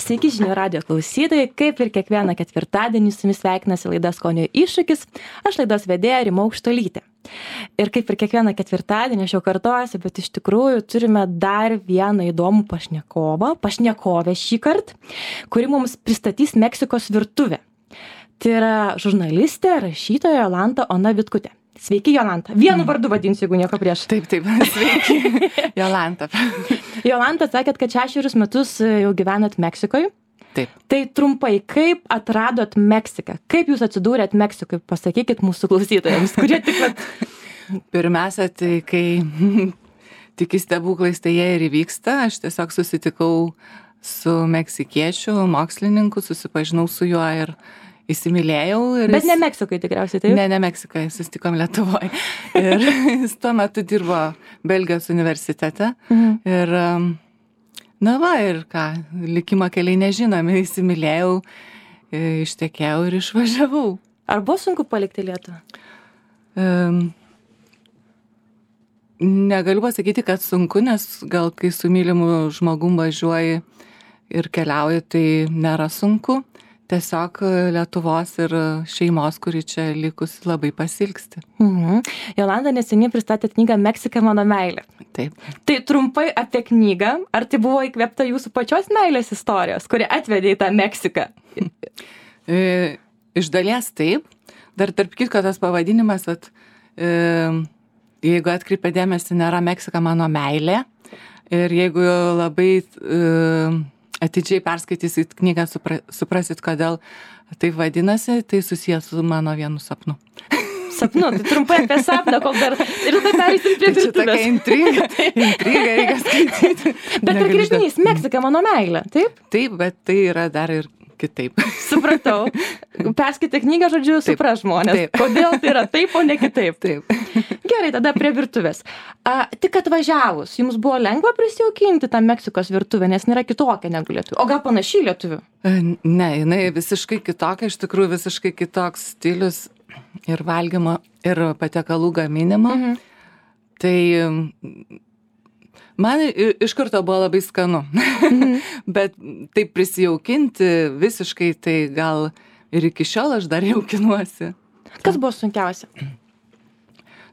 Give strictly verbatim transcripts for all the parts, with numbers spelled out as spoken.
Sveiki žinių radio klausytojai, kaip ir kiekvieną ketvirtadienį su jumis sveikinasi laida Skonio iššūkis, aš laidos vedėja Rima Aukštuolytė. Ir kaip ir kiekvieną ketvirtadienį, aš jau kartuosiu, bet iš tikrųjų turime dar vieną įdomų pašnekovą, pašnekovę šį kartą, kuri mums pristatys Meksikos virtuvę. Tai yra žurnalistė, rašytoja Jolanta Ona Vitkutė. Sveiki, Jolanta. Vienu vardu vadinsiu, jeigu nieko prieš. Taip, taip, sveiki, Jolanta. Jolanta, sakėt, kad šešerius metus jau gyvenat Meksikoje. Taip. Tai trumpai, kaip atradot Meksiką? Kaip jūs atsidūrėt Meksikoje? Pasakykit mūsų klausytojams, kurie tik... Pirmiausia, tai kai tiki stebuklais, tai jie ir įvyksta. Aš tiesiog susitikau su meksikiečiu, mokslininku, susipažinau su juo ir įsimylėjau. Ir Bet jis... ne Meksikoje tikriausiai, taip? Ne, ne Meksikoje, susitikom Lietuvoje. Ir jis tuo metu dirbo Belgijos universitete. Mhm. Ir, na va, ir ką, likimo keliai nežinomi, įsimylėjau, ištekėjau ir išvažiavau. Ar buvo sunku palikti Lietuvą? Um, negaliu pasakyti, kad sunku, nes gal kai su mylimu žmogum važiuoji ir keliauji, tai nėra sunku. Tiesiog Lietuvos ir šeimos, kuri čia likusi, labai pasilgsti. Mhm. Jolanta neseniai pristatė knygą Meksika mano meilė. Taip. Tai trumpai apie knygą. Ar tai buvo įkvėpta jūsų pačios meilės istorijos, kuri atvedė į tą Meksiką? E, iš dalies taip. Dar tarp kitko tas pavadinimas, at, e, jeigu atkreipia dėmesį, nėra Meksika mano meilė. Ir jeigu labai... E, atidžiai perskaitysit knygą, supra, suprasit, kodėl taip vadinasi, tai susijęs su mano vienu sapnu. Sapnu, tai trumpai apie sapną, kol dar ir tada pereisim prie virtuvės. Čia tokia intriga, intriga reikia skaityti. Bet pakreipinys, Meksika mano meilė, taip? Taip, bet tai yra dar ir kitaip. Supratau. Perskaitė knygą, žodžiu, supras žmonės. Taip. Kodėl tai yra taip, o ne kitaip. Taip. Gerai, tada prie virtuvės. A, tik atvažiavus, jums buvo lengva prisijaukinti tą Meksikos virtuvę, nes nėra kitokia negu lietuvių. O gal panašiai lietuvių? Ne, jinai visiškai kitokia, iš tikrųjų visiškai kitoks stilius ir valgymo, ir patiekalų gaminimo. Mhm. Tai man iš karto buvo labai skanu. Mhm. Bet taip prisijaukinti visiškai, tai gal ir iki šiol aš dar jaukinuosi. Kas buvo sunkiausia?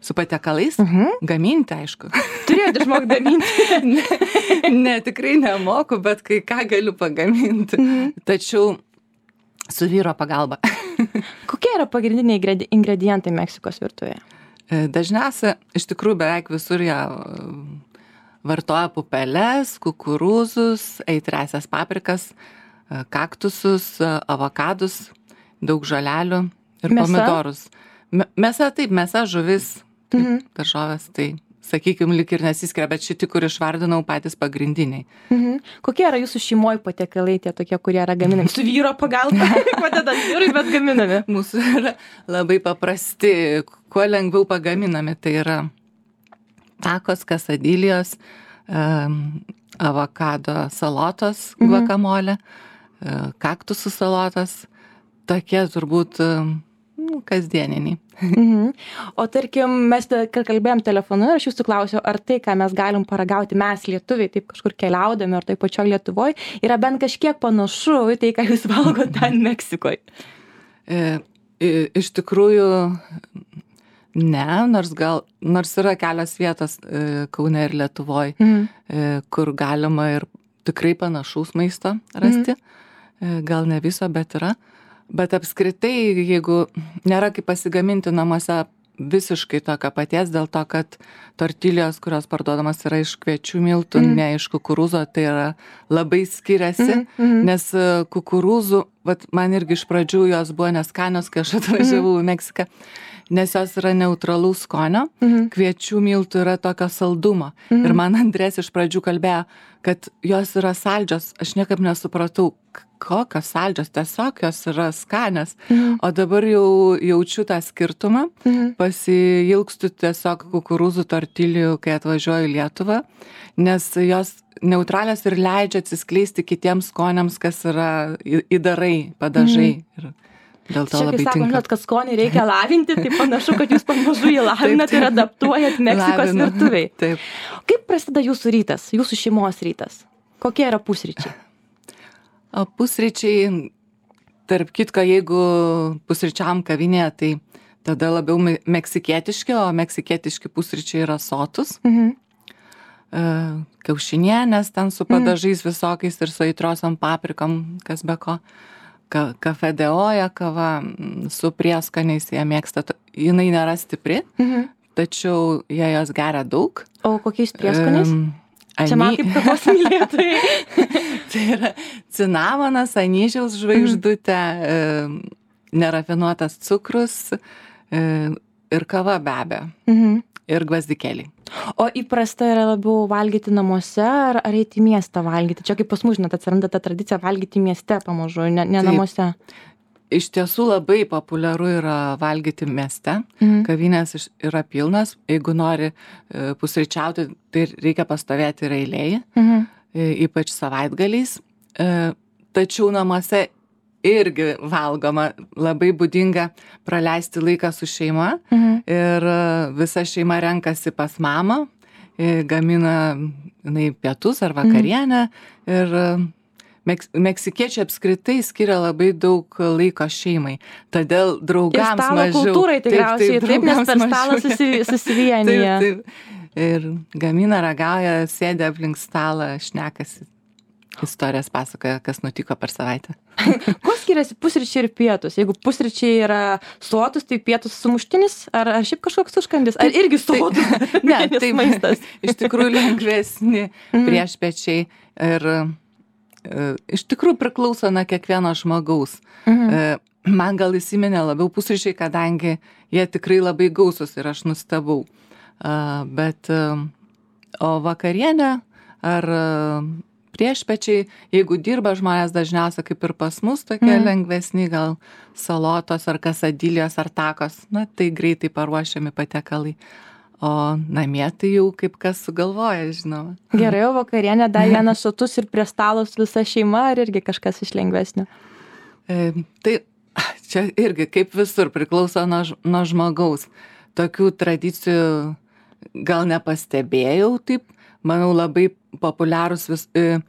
Su patiekalais? Mhm. Gaminti, aišku. Turėjote išmokti gaminti? ne, ne, tikrai nemoku, bet kai ką galiu pagaminti. Mhm. Tačiau su vyro pagalba. Kokie yra pagrindiniai ingredientai Meksikos virtuvėje? Dažniausia, iš tikrųjų beveik visur jie vartoja pupeles, kukurūzus, aitriasias paprikas, kaktusus, avokadus, daug žolelių ir mėsa? Pomidorus. Mėsa, taip, mėsa, žuvis, taip, mhm. daržovės, tai, sakykime, lik ir nesiskiria, bet šitie, kur išvardinau, patys pagrindiniai. Mhm. Kokie yra jūsų šeimoje patiekalai, tie tokie, kurie yra gaminami? Su vyro pagalba, padedant vyrui, bet gaminami? Mūsų yra labai paprasti, kuo lengviau pagaminami, tai yra takos, kasadilijos, um, avokado salotos, mhm. guakamolė, uh, kaktusų salotos, tokie turbūt um, nu, kasdieniniai. Mhm. O tarkim, mes kalbėjom telefonu ir aš jūsų klausiau, ar tai, ką mes galim paragauti, mes lietuviai, taip kažkur keliaudami, ar tai pačioj Lietuvoje, yra bent kažkiek panašu į tai, ką jūs valgote ten Meksikoje? E, iš tikrųjų, ne, nors gal, nors yra kelios vietos e, Kaune ir Lietuvoje, mhm. e, kur galima ir tikrai panašaus maisto rasti. Mhm. E, gal ne viso, bet yra. Bet apskritai, jeigu nėra kaip pasigaminti namuose visiškai tokio paties, dėl to, kad tortilijos, kurios parduodamas yra iš kviečių miltų, mm. ne iš kukurūzo, tai yra labai skiriasi, mm -hmm. nes kukurūzų, vat, man irgi iš pradžių jos buvo neskanios, kai aš atvažiavau mm -hmm. į Meksiką, nes jos yra neutralaus skonio, mm -hmm. kviečių miltų yra tokio saldumo. Mm -hmm. Ir man Andrės iš pradžių kalbėjo, kad jos yra saldžios, aš niekaip nesupratau, kokios saldžios, tiesiog jos yra skanios. Mhm. O dabar jau jaučiu tą skirtumą, mhm. pasiilgstu tiesiog kukurūzų tortilijų, kai atvažiuoju į Lietuvą, nes jos neutralios ir leidžia atsiskleisti kitiems skoniams, kas yra įdarai, padažai. Mhm. Ir dėl to čia, labai kai tinka. Sakom, kad skonį reikia lavinti, tai panašu, kad jūs pamažu jį lavinat ir adaptuojat Meksikos Lavinu. virtuviai. Taip. Kaip prasideda jūsų rytas, jūsų šeimos rytas? Kokie yra pusryčiai? O pusryčiai, tarp kitko, jeigu pusryčiam kavinėje, tai tada labiau me- meksikietiški, o meksikietiški pusryčiai yra sotus. Mhm. E, Kiaušinienės ten su padažais visokiais ir su aitriosiom paprikom, kas be ko. Ka, kafe de oja kava mm, su prieskoniais, jie mėgsta. to- Jinai nėra stipri, Mhm. tačiau jie jos geria daug. O kokiais prieskoniais? Em, Čia man any- kaip kavos mylėtojai. Tai yra cinamonas, anyžiaus žvaigždutė, em, nerafinuotas cukrus em, ir kava be abejo. Mhm. Ir gvazdikėliai. O įprasta yra labiau valgyti namuose ar, ar eiti į miestą valgyti? Čia kaip pas mus, žinot, atsiranda ta tradicija valgyti mieste pamažu, ne, ne Taip. namuose. Iš tiesų labai populiaru yra valgyti mieste. Mhm. Kavinės iš- yra pilnas. Jeigu nori e, pusryčiauti, tai reikia pastovėti ir eilėje, Mhm. e, ypač savaitgaliais. E, Tačiau namuose irgi valgoma, labai būdinga praleisti laiką su šeima Mhm. ir e, visa šeima renkasi pas mamą, e, gamina jinai pietus ar vakarienę ir e, Meks, meksikiečiai apskritai skiria labai daug laiko šeimai, todėl Ir draugams stalo mažiau. kultūrai tikriausiai, taip, taip, nes draugams per stalą mažiau. susi, susivienyje. Taip, taip. Ir gamina, ragauja, sėdė aplink stalą, šnekasi, istorijas pasakoja, kas nutiko per savaitę. Kuo skiriasi pusryčiai ir pietus? Jeigu pusryčiai yra sotus, tai pietus sumuštinis, ar, ar šiaip kažkoks užkandis? Ar irgi sotus? Ne, Nes tai maistas. iš tikrųjų lengvesni Mhm. priešpečiai ir e, iš tikrųjų priklauso nuo kiekvieno žmogaus. Mhm. E, Man gal įsiminė labiau pusryčiai, kadangi jie tikrai labai gausus ir aš nustebau. A, Bet e, o vakarienė ar e, priešpečiai, jeigu dirba žmonės dažniausiai kaip ir pas mus, tokie Mhm. lengvesni, gal salotos ar kasadilijos ar takos, na tai greitai paruošiami patiekalai. O namie tai jau kaip kas sugalvoja, žinoma. Gerai, o vakarienė dar vienas sotus ir prie stalo su visa šeima, ar irgi kažkas iš lengvesnio? E, tai čia irgi kaip visur priklauso nuo, ž- nuo žmogaus. Tokių tradicijų gal nepastebėjau taip, manau labai populiarūs vis. E,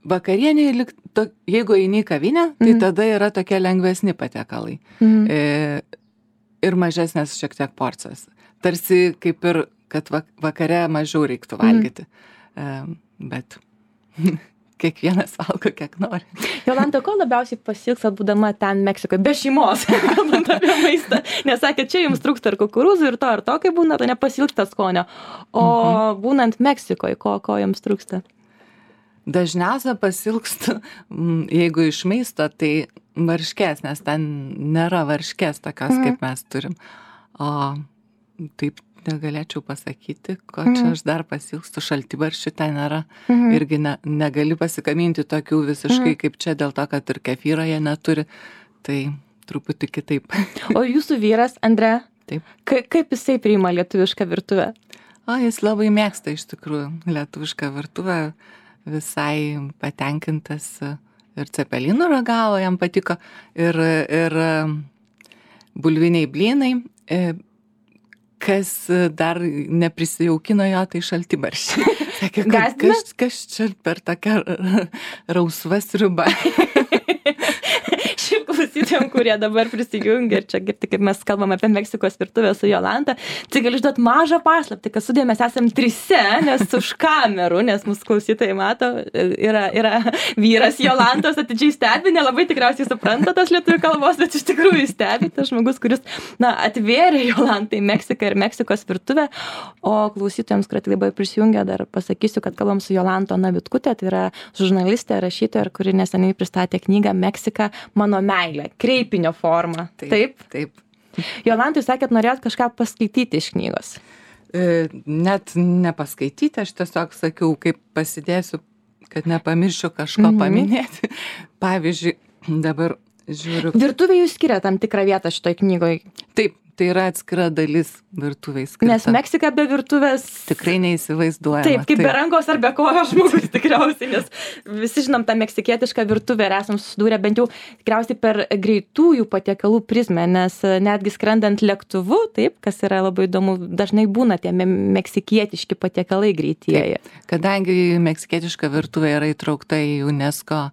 vakarienė, lyg to, jeigu eini į kavinę, tai Mhm. tada yra tokie lengvesni patiekalai. Mhm. E, ir mažesnės šiek tiek porcijos. Tarsi kaip ir, kad vak- vakare mažiau reiktų valgyti. E, bet kiekvienas valgo, kiek nori. Jolanta, ko labiausiai pasiilgstat būdama ten Meksikoje, be šeimos, kalbant apie maistą? Nes sakė, čia jums trūksta ir kukurūzų, ir to, ir to, kai būna, to nepasiilgta skonio. O Mhm. būnant Meksikoje, ko, ko jums trūksta? Dažniausia pasilgstu, mm, jeigu iš maisto, tai varškės, nes ten nėra varškės tokios, Mhm. kaip mes turim. O taip negalėčiau pasakyti, ko Mhm. čia aš dar pasilgstu, šaltibarščių ten nėra. Mhm. Irgi ne, negali pasikaminti tokių visiškai Mhm. kaip čia, dėl to, kad ir kefyro jie neturi. Tai truputį kitaip. O jūsų vyras, Andre, Taip. ka, kaip jisai priima lietuvišką virtuvę? O jis labai mėgsta iš tikrųjų lietuvišką virtuvę, visai patenkintas ir cepelinų ragavo, jam patiko, ir, ir bulviniai blynai. E, Kas dar neprisijaukino jo, tai šaltibarščiai. Sakė, kad Gąsdina? kas, kas čia per tokią rausvą sriubą. Šiaip klausytėm, kurie dabar prisijungia ir čia girti, kaip mes kalbame apie Meksikos virtuvę su Jolanta, tai galiu išduoti mažą paslaptį, kad studijoj mes esam trise, nes už kamerų, nes mūsų klausytojai mato, yra, yra vyras Jolantos atidžiai stebi, nelabai tikriausiai supranta tos lietuvių kalbos, bet iš tikrųjų stebi tas žmogus, kuris, na, atvėrė Jolantai Meksiką ir Meksikos virtuvę, o klausytojams, kurie tik dabar prisijungia, dar pasakysiu, kad kalbam su Jolanta Navitkutė, tai yra žurnalistė, rašytoja, kuri neseniai pristatė knygą Meksika mano meilė, kreipinio forma. Taip? Taip. Jolanta, jūs sakėt, norėjot kažką paskaityti iš knygos. E, Net nepaskaityti, aš tiesiog sakiau, kaip pasidėsiu, kad nepamiršiu kažko Mhm. paminėti. Pavyzdžiui, dabar žiūriu. Virtuvė jūs skiria tam tikrą vietą šitoj knygoj, Taip, tai yra atskira dalis virtuviai skirta. nes Meksika be virtuvės... Tikrai neįsivaizduojama. Taip, kaip be rankos ar be kojos žmogus tikriausiai, nes visi žinom tą meksikietišką virtuvę ir esam susidūrę bent jau tikriausiai per greitųjų patiekalų prizmę, nes netgi skrendant lėktuvu, taip, kas yra labai įdomu, dažnai būna tie me- meksikietiški patiekalai greitieji. Kadangi meksikietiška virtuvė yra įtraukta į UNESCO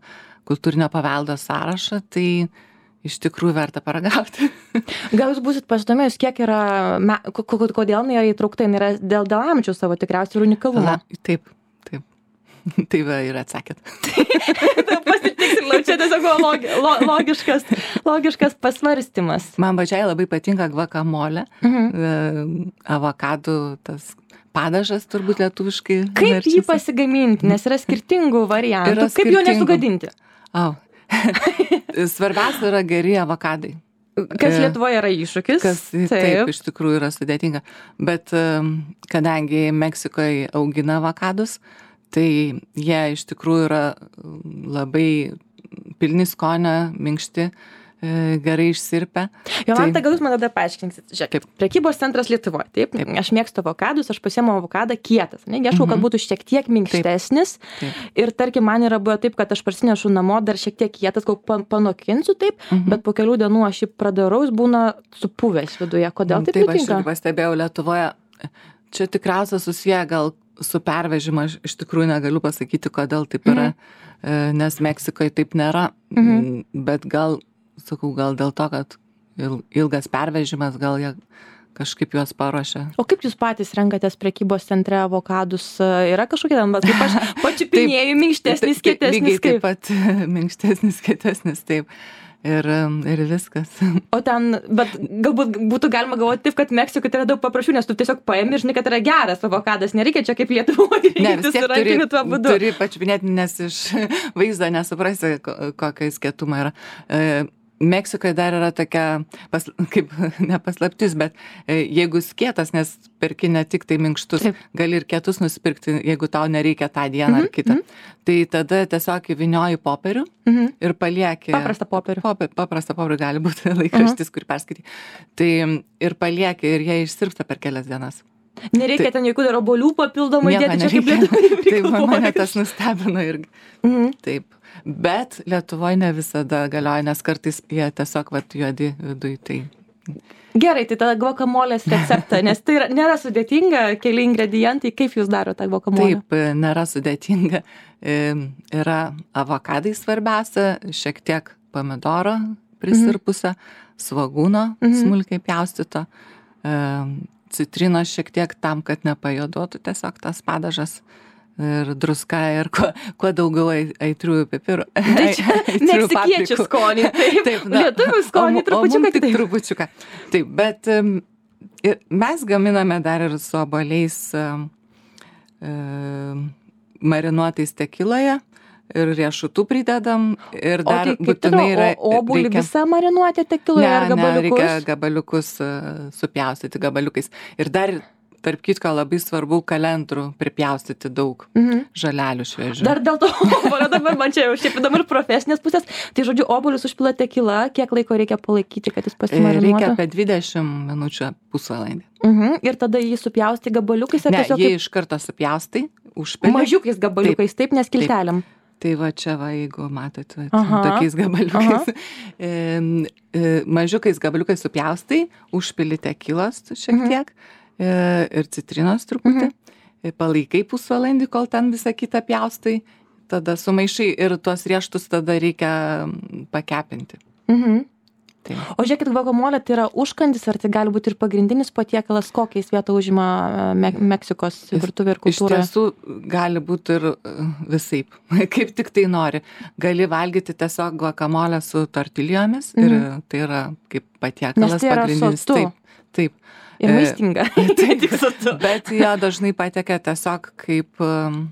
kultūrinio paveldo sąrašą, tai iš tikrųjų verta paragauti. Gal jūs būsit pasidomėjus, kiek yra, me, kodėl jinai yra įtraukta, jinai yra dėl, dėl amžiaus savo tikriausiai ir unikalumo. Na, taip, taip. Tai va ir atsakėt. Pasitiksliau, čia tiesiog logi, lo, logiškas, logiškas pasvarstymas. Man pačiai labai patinka gvakamolė, mhm. avokadų tas padažas turbūt lietuviškai. Kaip verčiasi. Jį pasigaminti, nes yra skirtingų variantų, yra kaip skirtingų. Jo nesugadinti? Au. Svarbiausia yra geri avokadai. Kas Lietuvoje yra iššūkis. Kas taip. taip iš tikrųjų yra sudėtinga. Bet kadangi Meksikoje augina avokadus, tai jie iš tikrųjų yra labai pilni skonio, minkšti, gerai išsirpę. Jolanta, tai... gal jūs man tada paaiškinsit. Žiūrėk, prekybos centras Lietuvoje, taip? taip. Aš mėgstu avokadus, aš pasiemu avokadą kietas. Ne? Ieškau, mhm. kad būtų šiek tiek minkštesnis. Taip. Taip. Ir tarkim, man yra buvo taip, kad aš parsinešu namo dar šiek tiek kietas, gal panokinsiu taip, mhm. bet po kelių dienų aš jį pradarau, jis būna supuvęs viduje. Kodėl taip nutinka? Taip, aš ir pastebėjau Lietuvoje. Čia tikriausiai susiję gal su pervežimu, aš iš tikrųjų negaliu pasakyti, kodėl taip yra, mhm. nes Meksikoje taip nėra, mhm. bet gal sakau, gal dėl to, kad ilgas pervežimas, gal jie kažkaip juos paruošia. O kaip jūs patys renkatės prekybos centre avokadus? Yra kažkokie ten, bet kaip aš pačiupinėjau, minkštesnis, kietesnis? Lygiai taip pat minkštesnis, kietesnis, taip. Ir, ir viskas. O ten, bet galbūt būtų galima galvoti taip, kad Meksikoje tai yra daug paprasčiau, nes tu tiesiog paimi, žinai, kad yra geras avokadas, nereikia čia kaip Lietuvoje. Ne, vis tiek turi, turi pačiupinėti, nes iš vaizdo nesuprasi, kokio jis kietumo yra. Meksikoje dar yra tokia, pas, kaip nepaslaptis, bet jeigu jis kietas, nes perki ne tik tai minkštus, taip. Gali ir kietus nusipirkti, jeigu tau nereikia tą dieną mm-hmm. ar kitą. Mm-hmm. Tai tada tiesiog įvynioji popierių mm-hmm. ir palieki. Paprastą popierių. Popi, paprastą popierių gali būti laikraštis, mm-hmm. kurį perskaityti. Tai ir palieki ir jie išsirpsta per kelias dienas. Nereikia tai, ten jokių dar obuolių papildomai dėti, čia kaip Lietuvoje. Taip, mane tas nustebino irgi. Mm-hmm. Taip. Bet Lietuvoje ne visada galioja, nes kartais jie tiesiog vat juodi viduj. Tai... Gerai, tai tada guakamolės receptą, nes tai yra, nėra sudėtinga, keli ingredientai, kaip jūs darote tą guakamolę? Taip, nėra sudėtinga. Yra avokadai svarbiausia, šiek tiek pomidoro prisirpusio, mm-hmm. svagūno mm-hmm. smulkiai pjaustyto, citrinos šiek tiek tam, kad nepajoduotų tiesiog tas padažas. Ir druska, ir kuo, kuo daugiau aitriųjų pipirų. Tai čia meksikiečių skonį, taip, taip lietuvių skonį, trupučiuką tik trupučiuką. Taip, bet um, mes gaminame dar ir su obuoliais um, um, marinuotais tekiloje ir riešutų pridedam ir dar o, būtinai yra... O obuolį reikia... visą marinuoti tekiloje ar gabaliukus? Ne, reikia gabaliukus uh, supjaustyti gabaliukais. Ir dar... Tarp kitko labai svarbu kalendrų pripjaustyti daug mhm. žalelių šviežių. Dar dėl to obuolio dabar man čia jau šiaip įdomu ir profesinės pusės. Tai žodžiu, obuolius užpila tekila, kiek laiko reikia palaikyti, kad jis pasimarinuotų? Reikia apie dvidešimt minučių pusvalandį. Mhm. Ir tada jį supjausti gabaliukais? Ne, tiesiog jį kaip... iš karto supjaustai, užpili. Mažiukais gabaliukais, taip, taip nes kiltelėm. Taip. Tai va čia va, jeigu matot, va, tokiais gabaliukais. E, e, mažiukais gabaliukais supjaustai, užpili tekilos šiek tiek. Mhm. Ir citrinos truputį, mhm. palaikai pusvalandį, kol ten visą kitą pjaustai, tada sumaišai ir tuos riešutus tada reikia pakepinti. Mhm. Tai. O žiūrėkit, guakamolė tai yra užkandis, ar tai gali būti ir pagrindinis patiekalas, kokiais vietą užima Me- Meksikos virtuvė ir kultūra? Iš tiesų gali būti ir visaip, kaip tik tai nori. Gali valgyti tiesiog guakamolę su tortiljomis mhm. ir tai yra kaip patiekalas tai pagrindinis. Sotu. Taip, taip. Ir maistinga. Tai, bet jo dažnai patiekia tiesiog kaip um,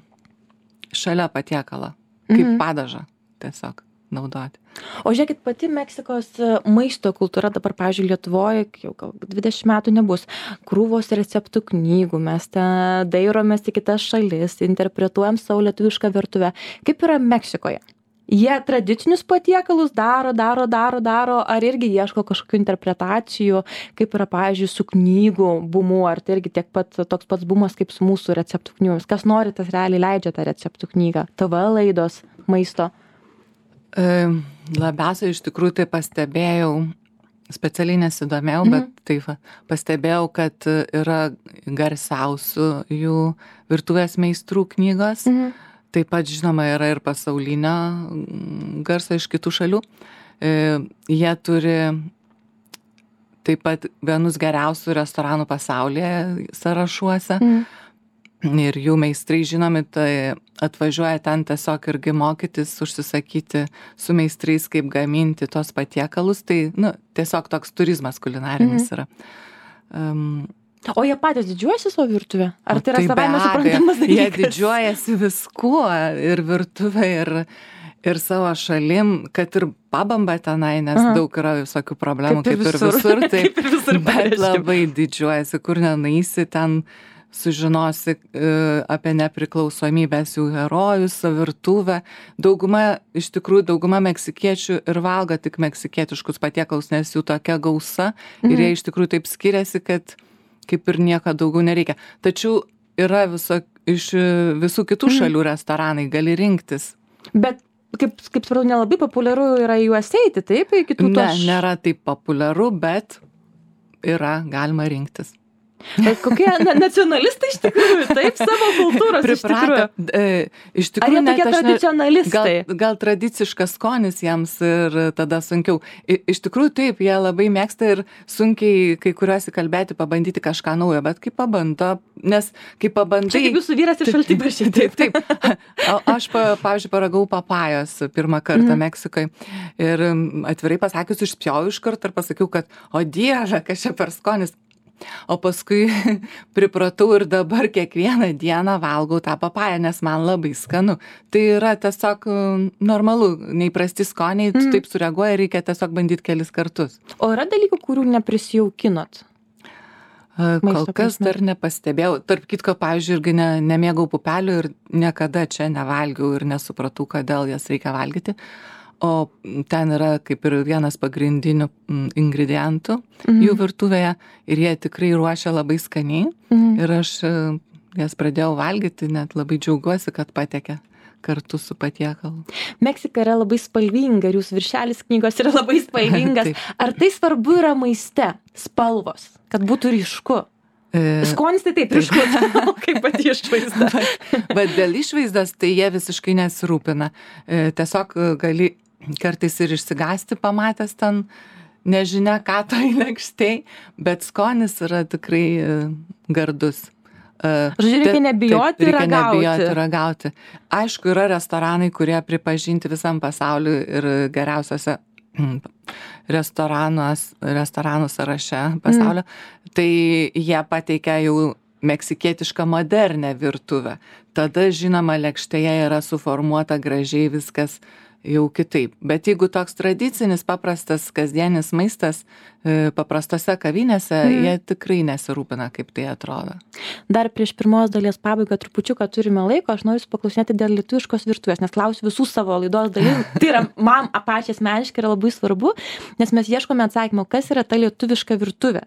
šalia patiekala, kaip mm-hmm. padažą tiesiog naudoti. O žiūrėkit, pati Meksikos maisto kultūra dabar, pavyzdžiui, Lietuvoje, jau gal dvidešimt metų nebus, krūvos receptų knygų, mes ten dairomės į kitas šalis, interpretuojam savo lietuvišką virtuvę. Kaip yra Meksikoje? Jie tradicinius patiekalus daro, daro, daro, daro, ar irgi ieško kažkokių interpretacijų, kaip yra, pavyzdžiui, su knygų bumu, ar tai irgi tiek pat toks pats bumas kaip su mūsų receptų knygomis. Kas nori, tas realiai leidžia tą receptų knygą. T V laidos, maisto. E, labiausiai iš tikrųjų tai pastebėjau, specialiai nesidomėjau, mhm. bet taip pastebėjau, kad yra garsiausių jų virtuvės meistrų knygos. Mhm. taip pat žinoma yra ir pasaulinio garso iš kitų šalių. Jie turi taip pat vienus geriausių restoranų pasaulyje sąrašuose. Mm. Ir jų meistrai žinomi, tai atvažiuoja ten tiesiog irgi mokytis, užsisakyti su meistrais, kaip gaminti tos patiekalus. Tai, nu, tiesiog toks turizmas kulinarinis mm. yra. Um, O jie patys didžiuojasi savo virtuvę? Ar tai yra savaime suprantamas dalykas? Jie didžiuojasi viskuo, ir virtuvė, ir, ir savo šalim, kad ir pabamba tenai, nes Aha. daug yra visokių problemų, kaip ir, kaip ir visur. Tai, kaip ir visur bet pareiškim. Labai didžiuojasi, kur nenaisi, ten sužinosi uh, apie nepriklausomybės jų herojus, virtuvę. Dauguma, iš tikrųjų, dauguma meksikiečių ir valgo tik meksikietiškus patiekalus, nes jų tokia gausa mhm. ir jie iš tikrųjų taip skiriasi, kad kaip ir nieko daugiau nereikia. Tačiau yra viso, iš visų kitų mhm. šalių restoranai, gali rinktis. Bet, kaip, kaip supratau, nelabai populiaru yra juos eiti, taip? Kitų ne, toš... nėra taip populiaru, bet yra, galima rinktis. Bet kokie na, nacionalistai iš tikrųjų, taip, savo kultūros Pripratę, iš tikrųjų. E, iš tikrųjų, Ar jie tokie tradicionalistai? Gal, gal tradiciškas skonis jiems ir tada sunkiau. I, iš tikrųjų, taip, jie labai mėgsta ir sunkiai kai kuriuos įkalbėti, pabandyti kažką naujo, bet kai pabando, nes kai pabandai... Čia kaip jūsų vyras iš šaltibarščių. Taip, taip. O, aš, pa, pavyzdžiui, paragau papajos pirmą kartą mm. Meksikoje ir atvirai pasakius, išspjojau iš karto ir pasakiau, kad o dieve, kas čia per skonis. O paskui pripratau ir dabar kiekvieną dieną valgau tą papają, nes man labai skanu. Tai yra tiesiog normalu, neįprasti skoniai, tu mm. taip sureaguoja, reikia tiesiog bandyti kelis kartus. O yra dalykų, kurių neprisijaukinot? Kol kas dar nepastebėjau. Tarp kitko, pavyzdžiui, irgi ne, nemėgau pupelių ir niekada čia nevalgiau ir nesupratau, kodėl jas reikia valgyti. O ten yra kaip ir vienas pagrindinių ingredientų mm. jų virtuvėje ir jie tikrai ruošia labai skaniai mm. ir aš jas pradėjau valgyti, net labai džiaugiuosi, kad patekė kartu su patiekalu. Meksika yra labai spalvinga ir jūsų viršelis knygos yra labai spalvingas. Ar tai svarbu yra maiste, spalvos, kad būtų ryšku? Skonis tai taip, ryškus, kaip pati išvaizda. bet, bet dėl išvaizdos tai jie visiškai nesirūpina. Tiesiog gali kartais ir išsigąsti pamatęs ten nežinia ką toj lėkštėj, bet skonis yra tikrai gardus. Žodžiu, reikia nebijoti taip, reikia ragauti. nebijoti ragauti. Aišku, yra restoranai, kurie pripažinti visam pasauliu ir geriausiose restoranų sąraše pasaulio, mm. tai jie pateikia jau meksikietišką modernę virtuvę. Tada, žinoma, lėkštėje yra suformuota gražiai viskas jau kitaip. Bet jeigu toks tradicinis, paprastas, kasdienis maistas paprastose kavinėse, mm. jie tikrai nesirūpina, kaip tai atrodo. Dar prieš pirmos dalies pabaigą trupučiuką turime laiko, aš noriu paklausinėti dėl lietuviškos virtuvės, nes klausiu visų savo laidos dalyvių. Tai yra man pačiai asmeniškai yra labai svarbu, nes mes ieškome atsakymo, kas yra ta lietuviška virtuvė.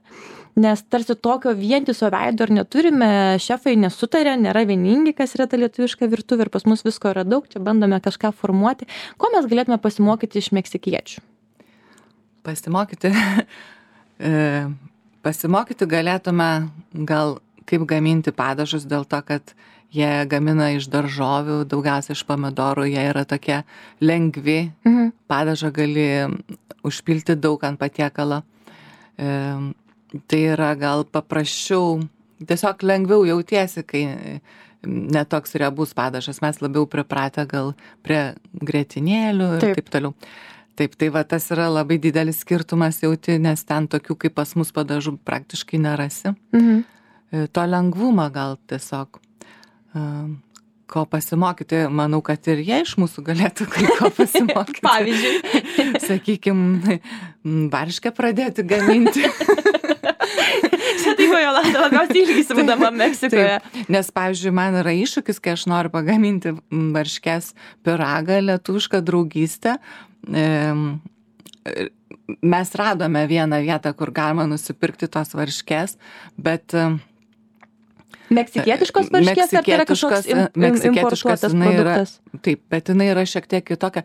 Nes tarsi tokio vientiso veido ir neturime, šefai nesutarė, nėra vieningi, kas yra ta lietuviška virtuvė ir pas mus visko yra daug, čia bandome kažką formuoti. Ko mes galėtume pasimokyti iš meksikiečių? Pasimokyti? Pasimokyti galėtume gal kaip gaminti padažus dėl to, kad jie gamina iš daržovių, daugiausia iš pomidorų, jie yra tokie lengvi, mhm. padažą gali užpilti daug ant patiekalo. Tai yra gal paprasčiau, tiesiog lengviau jautiesi, kai netoks riebus padažas. Mes labiau pripratę gal prie grietinėlių ir taip, taip toliau. Taip, tai va tas yra labai didelis skirtumas jauti, nes ten tokių kaip pas mus padažų praktiškai nerasi. Mhm. To lengvumą gal tiesiog ko pasimokyti, manau, kad ir jie iš mūsų galėtų kai ko pasimokyti. Pavyzdžiui. Sakykime, varškę pradėti gaminti. Čia taip, Jolanta, labiausiai ilgisi būdama Meksikoje. Taip, nes, pavyzdžiui, man yra iššūkis, kai aš noriu pagaminti varškės pyragą, lietuvišką draugystę. Mes radome vieną vietą, kur galima nusipirkti tos varškės, bet... Meksikietiškos varškės, ar tai yra kažkoks importuotas produktas? Yra, taip, bet jinai yra šiek tiek kitokia.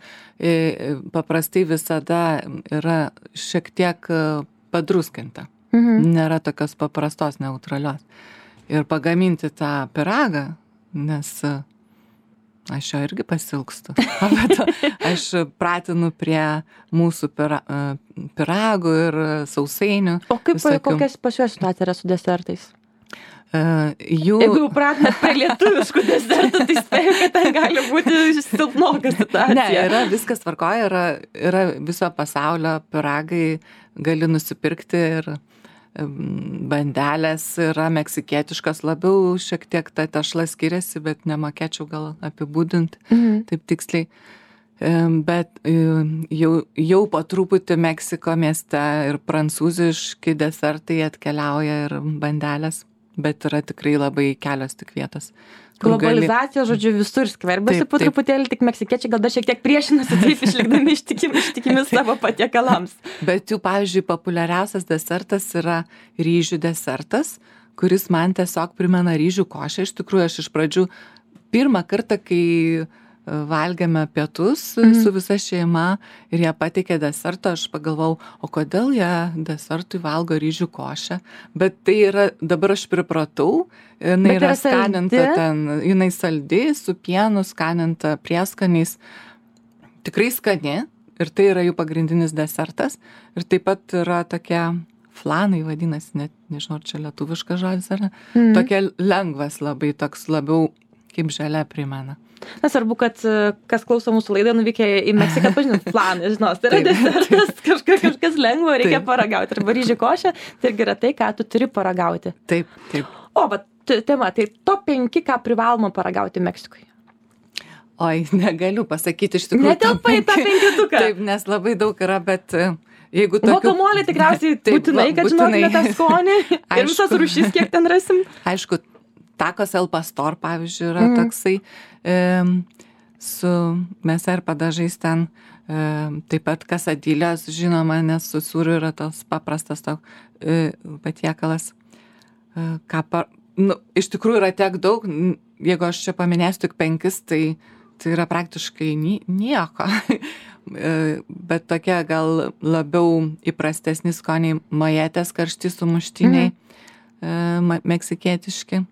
Paprastai visada yra šiek tiek padruskinta. Mhm. Nėra tokios paprastos, neutralios. Ir pagaminti tą pyragą, nes aš jo irgi pasilgstu. Aš pratinu prie mūsų pira, piragų ir sausainių. O kaip, visokių. Kokias pas juos situacija yra su desertais? Uh, jų... Jeigu jau pratinat prie lietuviškų desertų, tai spėju, kad ten gali būti silpnoka situacija. Ne, yra viskas tvarkoja, yra, yra viso pasaulio piragai, gali nusipirkti ir bandelės yra meksikietiškas, labiau šiek tiek ta tešla skiriasi, bet nemokėčiau gal apibūdinti mhm. taip tiksliai. Bet jau, jau po truputį Meksiko mieste ir prancūziški desertai atkeliauja ir bandelės, bet yra tikrai labai kelios tik vietos. Globalizacija, gali... žodžiu, visur skverbiasi po truputėlį, tik meksikiečiai gal dar šiek tiek priešinasi, taip išlikdami ištikimi, ištikimi savo patiekalams. Bet jų, pavyzdžiui, populiariausias desertas yra ryžių desertas, kuris man tiesiog primena ryžių košę. Iš tikrųjų, aš iš pradžių pirmą kartą, kai valgėme pietus mm. su visa šeima ir jie pateikė desertą, aš pagalvojau, o kodėl jie desertui valgo ryžių košę, bet tai yra, dabar aš pripratau, jinai yra skaninta ten, jinai saldi, su pienu, skaninta prieskaniais, tikrai skani ir tai yra jų pagrindinis desertas ir taip pat yra tokia flanai vadinasi, net nežinau, ar čia lietuviškas žodis ar ne, mm. tokia lengvas labai, toks labiau kaip žalia primena. Nesvarbu, kad kas klauso mūsų laidą, nuvykę į Meksiką, pažinot, flaną, žinos, tai yra desertas, kažkas, kažkas lengvo, reikia taip. Paragauti. Arba ryžių košė, tai irgi yra tai, ką tu turi paragauti. Taip, taip. O, bet tema, tai top penki, ką privaloma paragauti Meksikoje? Oi, negaliu pasakyti iš tikrųjų. Netelpa į tą penketuką. Taip, nes labai daug yra, bet jeigu tokių... Guacamole tikriausiai taip, būtinai, kad žinotume tą skonį ir visas rūšis, kiek ten rasim. Aišku, Tacos El Pastor, pavyzdžiui, yra mm. toksai e, su mėsa ir padažais ten, e, taip pat kasadilės, žinoma, nes su sūriu yra tas paprastas to, e, patiekalas. E, ką par, nu, iš tikrųjų yra tiek daug, jeigu aš čia paminėsiu tik penkis, tai, tai yra praktiškai ni, nieko. e, bet tokie gal labiau įprastesni skoniai, majetės karšti sumuštiniai, mm. e, meksikietiški.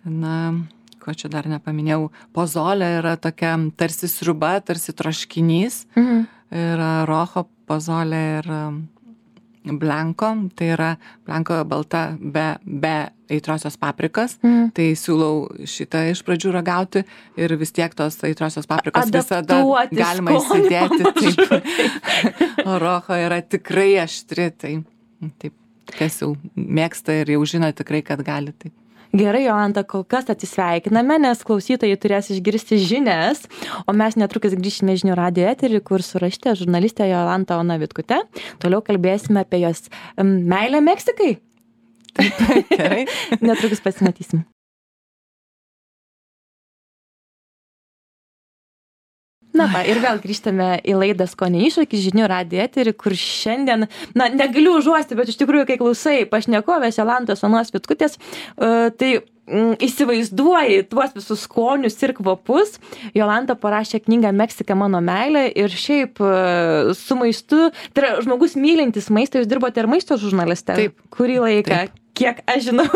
Na, ko čia dar nepaminėjau, pozolė yra tokia tarsi sriuba, tarsi troškinys, mhm. yra rojo pozolė ir blanko, tai yra blanko balta be, be aitriosios paprikas, mhm. tai siūlau šitą iš pradžių ragauti ir vis tiek tos aitriosios paprikos visada galima įsidėti. Taip. O rojo yra tikrai aštri, tai taip, kas jau mėgsta ir jau žino tikrai, kad gali taip. Gerai, Jolanta, kol kas atsisveikiname, nes klausytojai turės išgirsti žinias, o mes netrukus grįšime žinių radijo eterį, kur su rašytoja žurnalistė Jolanta Ona Vitkutė. Toliau kalbėsime apie jos meilę Meksikai. Taip, gerai. Netrukus pasimatysim. Na, va, ir vėl grįžtame į laidą Skonio iššūkis žinių radijo eterį, kur šiandien, na, negaliu užuosti, bet iš tikrųjų, kai klausai pašnekovės Jolantos Onos Vitkutės, uh, tai mm, įsivaizduoji tuos visus skonius ir kvapus. Jolanta parašė knygą Meksika mano meilė ir šiaip uh, su maistu, tai yra žmogus mylintis maistą, jūs dirbote ir maisto žurnaliste? Taip. Kurį laiką? Taip. Kiek aš žinau.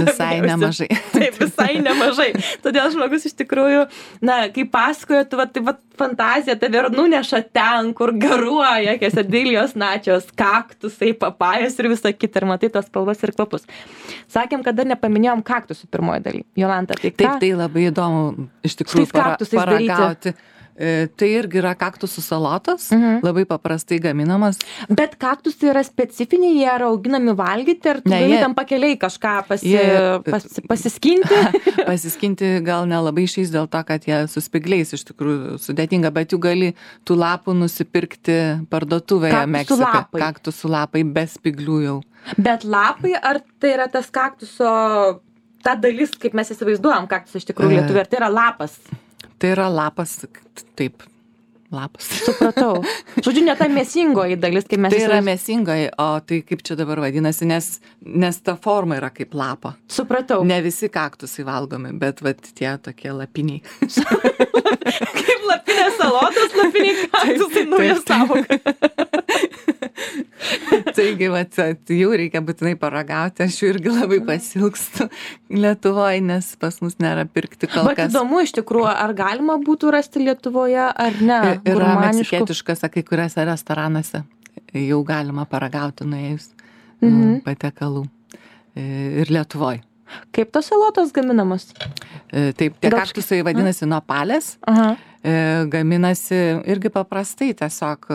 Visai nemažai. Taip, visai nemažai. Todėl žmogus iš tikrųjų, na, kai pasakojo, tu va, tai va, fantazija tave ir nuneša ten, kur garuoja, quesadillos, načios, kaktusai, papajos ir visa kita, ir matai tos spalvas ir kvapus. Sakėm, kad dar nepaminėjom kaktusų pirmoji daly. Jolanta, tai ką? Taip, tai labai įdomu iš tikrųjų para, paragauti. E, tai irgi yra kaktusų salotas, mhm. labai paprastai gaminamas. Bet kaktusai yra specifiniai, jie yra auginami valgyti, ar tu ne, gali jie, tam pakeliai kažką pasi, jie, pas, pasiskinti? Pasiskinti gal nelabai išeis dėl to, kad jie su spygliais iš tikrųjų sudėtinga, bet jų gali tų lapų nusipirkti parduotuvėje Meksikoje. Kaktusų lapai be spyglių jau. Bet lapai, ar tai yra tas kaktuso, ta dalis, kaip mes įsivaizduojam kaktusą iš tikrųjų lietuvių, ar tai yra lapas? Tai yra lapas, taip, lapas. Supratau. Žodžiu, ne ta mėsingoji dalis, kaip mes... Tai yra mėsingoji, o tai kaip čia dabar vadinasi, nes, nes ta forma yra kaip lapo. Supratau. Ne visi kaktusai valgomi, bet vat tie tokie lapiniai. Kaip lapinės salotos, lapiniai kaktusai, nauja sąvoka. Tai irgi, vat, jų reikia būtinai paragauti, aš jų irgi labai pasilgstu Lietuvoje, nes pas mus nėra pirkti kol kas. Bet įdomu iš tikrųjų, ar galima būtų rasti Lietuvoje, ar ne? Yra meksikietiškas, kai kuriuose restoranuose jau galima paragauti nuėjus mhm. patiekalų. Ir Lietuvoje. Kaip tos salotos gaminamos? Taip, tie kaktusai vadinasi nopalės. Aha. Gaminasi irgi paprastai, tiesiog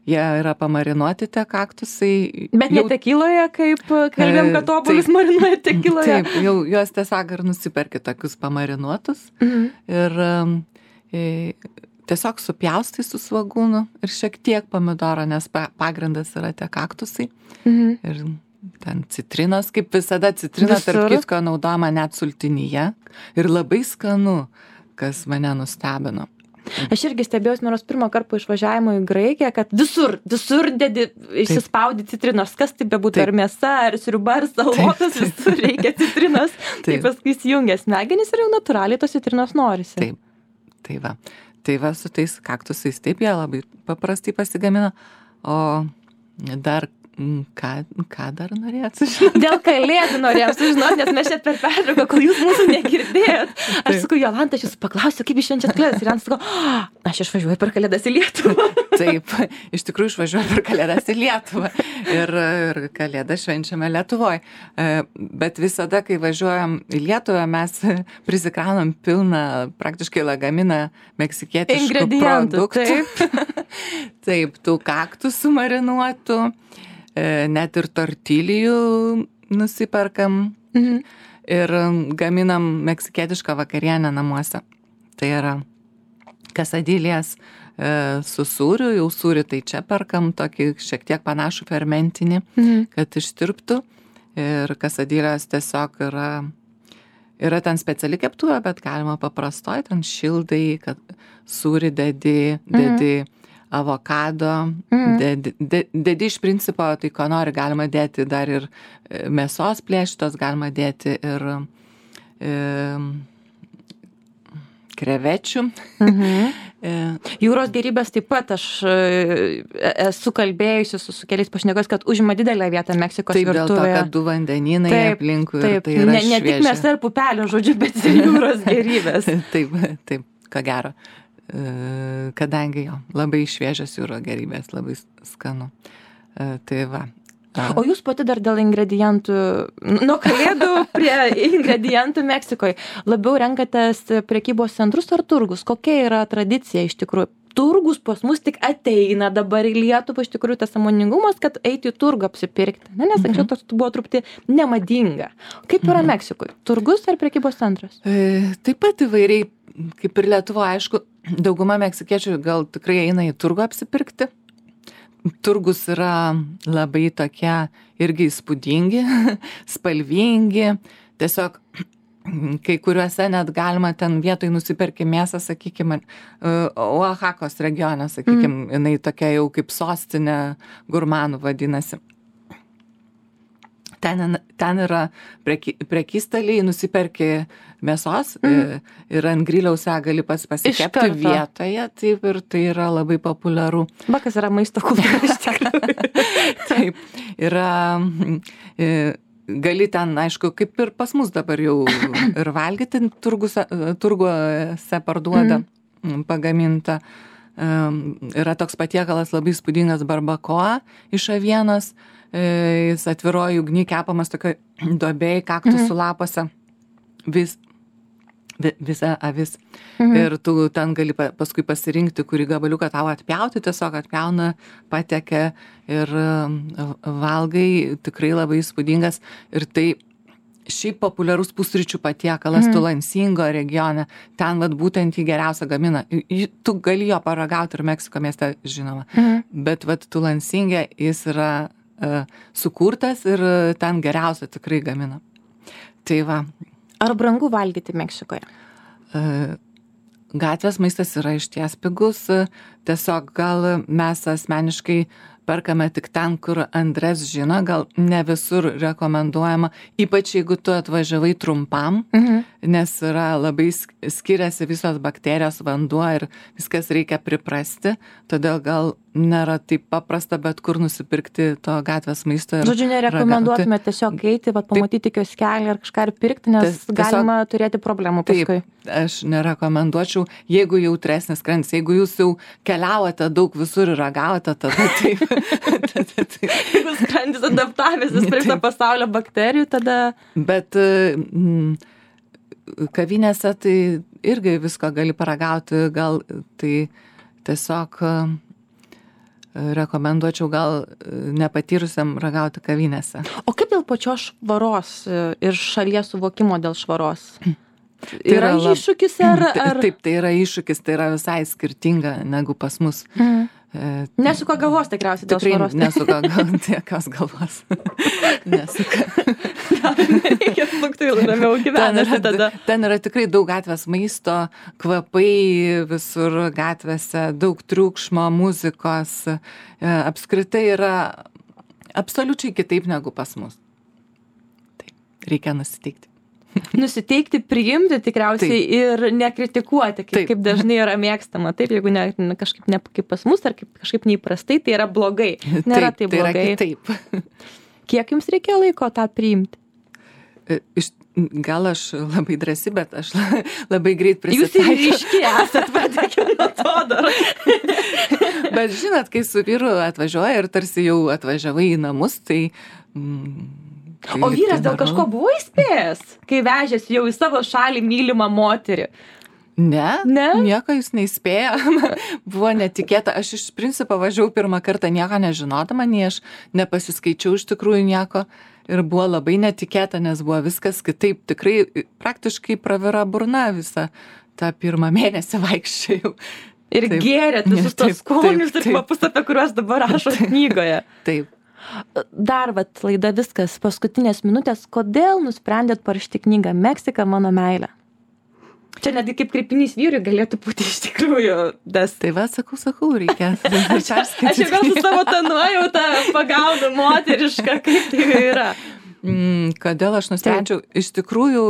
jie yra pamarinuoti tie kaktusai. Bet jau... ne tekiloje, kaip kalbėjom, kad obuolius marinuoja tekiloje. Taip, jau juos tiesiog ir nusiperki tokius pamarinuotus. Mhm. Ir e, tiesiog supjaustai su svagūnu ir šiek tiek pomidoro, nes pagrindas yra tie kaktusai. Mhm. Ir ten citrinos, kaip visada citrina, tarp kitko naudojama net sultinyje. Ir labai skanu, kas mane nustebino. Aš irgi stebėjausi nors pirmą kartą po išvažiavimo į Graikiją, kad visur, visur dedi, išsispaudi citrinos, kas tai bebūtų, ar mėsa, ar sriuba, ar salotas, visur reikia citrinos. Tai paskui įsijungia smegenys ir jau natūraliai tos citrinos norisi. Taip, tai va. Tai va su tais kaktusais taip jie labai paprastai pasigamina, o dar Ką, ką dar norėjot sužinoti? Dėl kalėdų norėjom sužinoti, nes mes čia per pertrauką, kol jūs mūsų negirdėjot. Aš sakau, Jolanta, aš jūsų paklausiu, kaip jūs švenčiat kalėdas. Ir Jolanta sakau, aš išvažiuoju per kalėdas į Lietuvą. Taip, iš tikrųjų išvažiuoju per kalėdas į Lietuvą. Ir, ir kalėdas švenčiame Lietuvoje. Bet visada, kai važiuojam į Lietuvą, mes prisikraunam pilną, praktiškai lagaminą meksikietiškų produktų. Taip. Taip, tų kaktusų marinuotų. Net ir tortilijų nusiperkam mhm. ir gaminam meksikietišką vakarienę namuose. Tai yra kasadilės e, su sūriu, jau sūrį tai čia perkam, tokį šiek tiek panašų fermentinį, mhm. kad ištirptų. Ir kasadilės tiesiog yra, yra ten speciali keptuvė, bet galima paprastoj, ten šildai, kad sūrį dedi, dedi mhm. avokado, mm. dedi, de, dedi iš principo, tai ko nori, galima dėti dar ir mėsos plėštos, galima dėti ir e, krevečių. Mhm. Jūros gėrybės taip pat, aš esu kalbėjusi su, su keliais pašnekos, kad užima didelę vietą Meksikos taip, virtuvėje. Taip, dėl to, kad du vandenynai taip, aplinkui taip, ir tai yra ne, ne tik mėsa ir pupelė, žodžiu, bet ir jūros gėrybės. Taip, taip, ko gero. Kadangi jo, labai šviežias jūro gėrybės, labai skanu. Tai va. O jūs pati dar dėl ingredientų, nuo kalėdų prie ingredientų Meksikoje, labiau renkatės prekybos centrus ar turgus? Kokia yra tradicija iš tikrųjų? Turgus pas mus tik ateina dabar į Lietuvą, iš tikrųjų tas sąmoningumas, kad eiti į turgų apsipirkti. Ne, nes anksčiau tas buvo truputį nemadinga. Kaip yra Meksikoje? Turgus ar prekybos centras? E, taip pat įvairiai, kaip ir Lietuva, aišku, dauguma meksikiečių gal tikrai eina į turgų apsipirkti. Turgus yra labai tokie irgi įspūdingi, spalvingi. Tiesiog kai kuriuose net galima ten vietoj nusiperki mėsą, sakykime, Oaxakos regione, sakykime, mm. jinai tokia jau kaip sostinė gurmanų vadinasi. Ten, ten yra preky, prekystaliai, nusiperki mėsos mm. ir ant griliaus ją gali pats pasikepti vietoje, taip, ir tai yra labai populiaru. Bakas yra maisto kultūra iš tikrųjų. Taip, yra, gali ten, aišku, kaip ir pas mus dabar jau ir valgyti, turguose, turguose parduoda mm. pagamintą. Yra toks patiekalas labai įspūdingas barbakoa iš avienos. Jis atviroji ugny kepamas tokioj duobėj, kaktusų mhm. lapuose, vis, vi, visa avis. Mhm. Ir tu ten gali paskui pasirinkti, kurį gabaliuką tau atpjauti, tiesiog atpjauna, patekia ir valgai, tikrai labai įspūdingas. Ir tai šiaip populiarus pusryčių patiekalas mhm. Tulansingo regione, ten vat būtent jį geriausia gamina. Tu gali jo paragauti ir Meksiko mieste, žinoma, mhm. bet vat Tulansingė jis yra sukurtas ir ten geriausia tikrai gamina. Tai va. Ar brangu valgyti Meksikoje? Gatvės maistas yra išties pigus. Tiesiog gal mes asmeniškai perkame tik ten, kur Andres žino, gal ne visur rekomenduojama, ypač jeigu tu atvažiavai trumpam, mhm. nes yra labai skiriasi visos bakterijos, vanduo ir viskas reikia priprasti, todėl gal nėra taip paprasta, bet kur nusipirkti to gatvės maisto. Žodžiu, nerekomenduotume tiesiog eiti, bet pamatyti kioskelį ar kažką ir pirkti, nes tiesiog, galima turėti problemų paskui. Taip, aš nerekomenduočiau, jeigu jautresnis skrandis, jeigu jūs jau keliavote daug visur ir ragavote, tada taip. tada, taip. Jeigu skrandis adaptavęsis prie viso pasaulio bakterijų, tada... Bet mm, kavinėse tai irgi visko gali paragauti, gal tai tiesiog... rekomenduočiau gal nepatyrusiam ragauti kavinėse. O kaip dėl pačios švaros ir šalies suvokimo dėl švaros? Tai yra lab... iššūkis ar, ar... Taip, tai yra iššūkis, tai yra visai skirtinga negu pas mus. Mm. Nesuka galvos tikriausiai dėl švaros. Nesuka galvos, jokios galvos. Nesuka. Reikia sukti ramiau gyvenasi tada. Ten yra tikrai daug gatvės maisto, kvapai visur gatvėse, daug triukšmo, muzikos. Apskritai yra absoliučiai kitaip negu pas mus. Taip, reikia nusiteikti. Nusiteikti, priimti tikriausiai taip. Ir nekritikuoti, kaip, kaip dažnai yra mėgstama. Taip, jeigu ne, ne, kažkaip ne kaip pas mus, ar kaip, kažkaip neįprastai, tai yra blogai. Nėra taip, tai blogai. Tai yra kitaip. Kiek jums reikėjo laiko tą priimti? Iš, gal aš labai drąsi, bet aš labai greit prisitaikiau. Jūs ir ryški esat, patikė nuo to dar. Bet žinot, kai su vyru atvažiuoja ir tarsi jau atvažiavai į namus, tai... Mm, Tai o vyras dėl kažko buvo įspėjęs, kai vežėsi jau į savo šalį mylimą moterį? Ne, ne? Nieko jis neįspėjo. Buvo netikėta. Aš iš principo važiavau pirmą kartą nieko nežinodama, nei aš nepasiskaičiau iš tikrųjų nieko. Ir buvo labai netikėta, nes buvo viskas kitaip. Tikrai praktiškai pravira burna visą tą pirmą mėnesį vaikščiojau. Ir taip, gėrėt visus tos skonius ir kvapus, apie kuriuos dabar rašo knygoje. Taip. Dar vat laida viskas, paskutinės minutės, kodėl nusprendėt parašyti knygą Meksika mano meilė? Čia netgi kaip kreipinys vyrui galėtų būti iš tikrųjų. Das... Tai va, sakau, sakau, reikia. aš, aš jau gal su savo tą nuojautą pagaunu moterišką, kaip tai yra. Mm, kodėl aš nusprendžiau? Taip. Iš tikrųjų,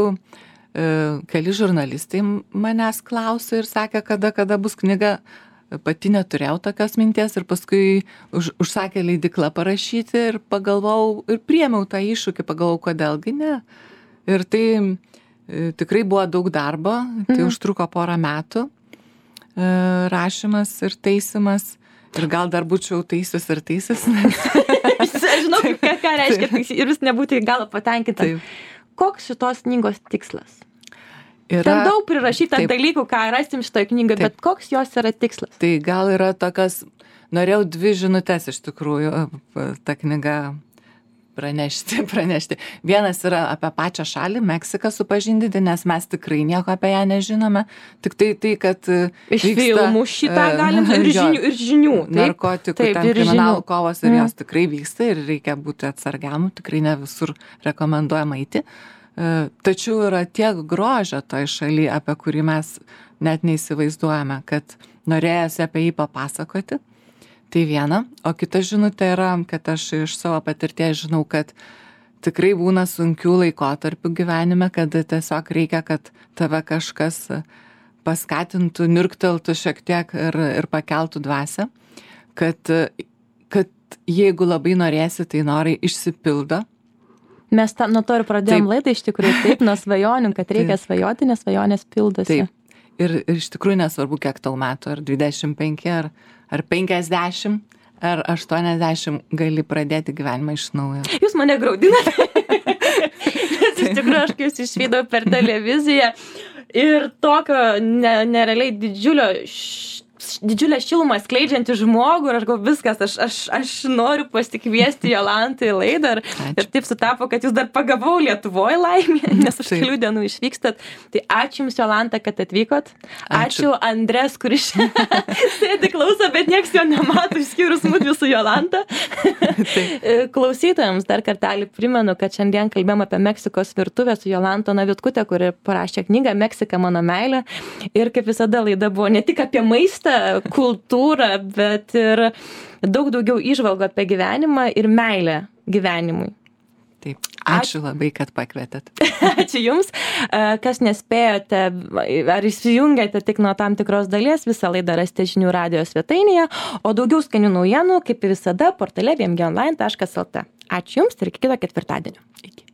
keli žurnalistai manęs klausė ir sakė, kada, kada bus knyga. Pati neturėjau tokios minties ir paskui už, užsakė leidykla parašyti ir pagalvojau ir priėmiau tą iššūkį, pagalvojau, kodėlgi ne. Ir tai e, tikrai buvo daug darbo, tai mhm. užtruko porą metų e, rašymas ir taisimas ir gal dar būčiau taisus ir taisus. Aš žinau, ką, ką reiškia taisyti ir vis nebūti galo patenkinta. Koks šitos knygos tikslas? Yra, ten daug prirašyta taip, dalykų, ką rasim šitoje knygoje, bet koks jos yra tikslas? Tai gal yra tokios, norėjau dvi žinutės iš tikrųjų tą knygą pranešti, pranešti. Vienas yra apie pačią šalį, Meksiką supažindinti, nes mes tikrai nieko apie ją nežinome. Tik tai tai, kad iš vyksta, filmų šitą galim ir žinių, ir žinių. Taip, narkotikų, taip, ten kriminalų kovos ir mm. jos tikrai vyksta ir reikia būti atsargiam, tikrai ne visur rekomenduojama eiti. Tačiau yra tiek grožio toj šaly, apie kurį mes net neįsivaizduojame, kad norėjosi apie jį papasakoti. Tai viena. O kita žinutė yra, kad aš iš savo patirties žinau, kad tikrai būna sunkių laikotarpių gyvenime, kad tiesiog reikia, kad tave kažkas paskatintų, nirkteltų šiek tiek ir, ir pakeltų dvasią. Kad, kad jeigu labai norėsi, tai norai išsipildo. Mes ta, nuo to ir pradėjom taip. Laidą iš tikrųjų taip, nuo svajonių, kad reikia taip. Svajoti, nes svajonės pildosi. Taip. Ir, ir iš tikrųjų nesvarbu, kiek tau metų, ar dvidešimt penki, ar, ar penkiasdešimt, ar aštuoniasdešimt, gali pradėti gyvenimą iš naujo. Jūs mane graudinate. Nes iš tikrųjų aš kai jūs išvydau per televiziją ir tokio ne, nerealiai didžiulio š... didžiulę šilumą skleidžiantį žmogų ir aš galvoju, viskas, aš, aš, aš noriu pasikviesti Jolantą į laidą ir, ir taip sutapo, kad jūs dar pagavau Lietuvoje laimė, nes už kelių dienų išvykstat. Tai ačiū Jums, Jolanta, kad atvykot. Ačiū, ačiū Andres, kuris sėdi klauso, bet nieks jo nemato, išskyrus mudvi su Jolanta. Klausytojams dar kartelį primenu, kad šiandien kalbėjom apie Meksikos virtuvę su Jolanta Navitkute, kuri parašė knygą Meksika mano meilė. Ir kaip visada laida buvo ne tik apie maistą, visą kultūrą, bet ir daug daugiau įžvalgų apie gyvenimą ir meilę gyvenimui. Taip, ačiū labai, kad pakvietėt. Ačiū Jums. Kas nespėjote ar įsijungėte tik nuo tam tikros dalies, visą laidą rasite žinių radijo svetainėje, o daugiau skanių naujienų, kaip visada, portale vmg online taškas lt. Ačiū Jums ir iki kito ketvirtadienio. Iki.